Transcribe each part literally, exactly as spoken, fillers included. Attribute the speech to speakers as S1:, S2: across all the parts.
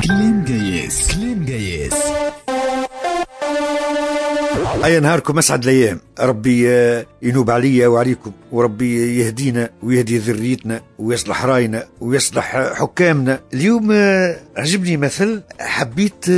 S1: كلام قياس، كلام قياس.
S2: أي نهاركم أسعد الأيام، ربي ينوب عليا وعليكم، وربي يهدينا ويهدي ذريتنا ويصلح راينا ويصلح حكامنا. اليوم عجبني مثل حبيت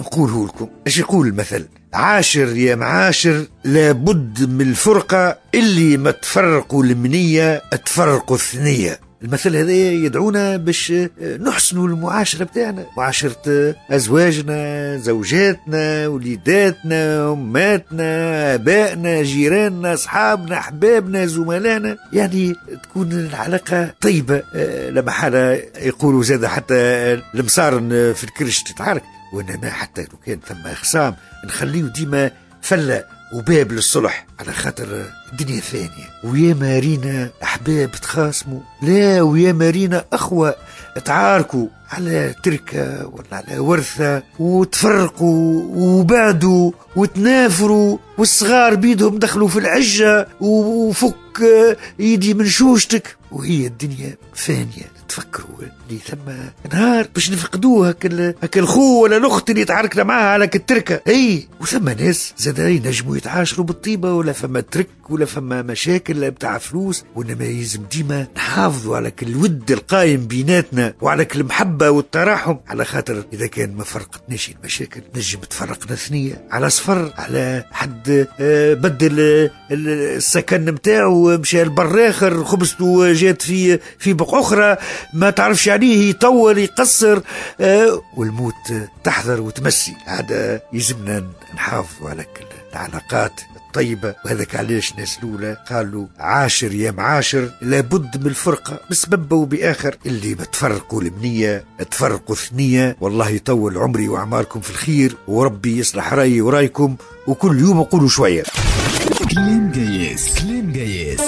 S2: نقوله لكم. ايش يقول المثل؟ عاشر يا معاشر لابد من الفرقة، اللي ما تفرقوا المنية تفرقوا الثنية. المثل هذا يدعونا باش نحسنوا المعاشرة بتاعنا، معاشرة أزواجنا، زوجاتنا، وليداتنا، أماتنا، آبائنا، جيراننا، أصحابنا، أحبابنا، زملائنا، يعني تكون العلاقة طيبة. لما حالة يقولوا زاد حتى المصارن في الكرش تتعارك، وإنما حتى لو كان ثم خصام نخليه ديما فلة وباب للصلح، على خاطر الدنيا ثانية. ويا مارينا أحباب تخاصموا، لا ويا مارينا أخوة تعاركوا على تركة ولا على ورثة، وتفرقوا وبعدوا وتنافروا، والصغار بيدهم دخلوا في العجة وفك يدي من شوشتك، وهي الدنيا فانية. تفكروا اللي ثم نهار باش نفقدوه هك هك الخو ولا الاخت اللي تعاركنا معاها على التركة. اي وثم ناس زاد ينجموا يتعاشروا بالطيبه، ولا فما ترك ولا فما مشاكل بتاع فلوس، وانما يلزم ديما نحافظوا على كل الود القايم بيناتنا وعلى كل المحبة والتراحم، على خاطر اذا كان ما فرقتناش المشاكل نجم تفرقنا ثنيه على صفر، على حد بدل السكن نتاعو مشى لبر اخر، خبزته جات في في بقعة اخرى ما تعرفش عليه، يطول يقصر، آه والموت تحذر وتمسي. هذا يلزمنا نحافظوا على كل العلاقات الطيبة. وهذاك علاش ناس الأولى قالوا عاشر يا معاشر لابد من الفرقة بسبب وبآخر، اللي بتفرقوا المنية تفرقوا ثنية. والله يطول عمري وأعماركم في الخير، وربي يصلح رأيي ورايكم، وكل يوم نقولوا شوية.
S1: كلام قياس، كلام قياس.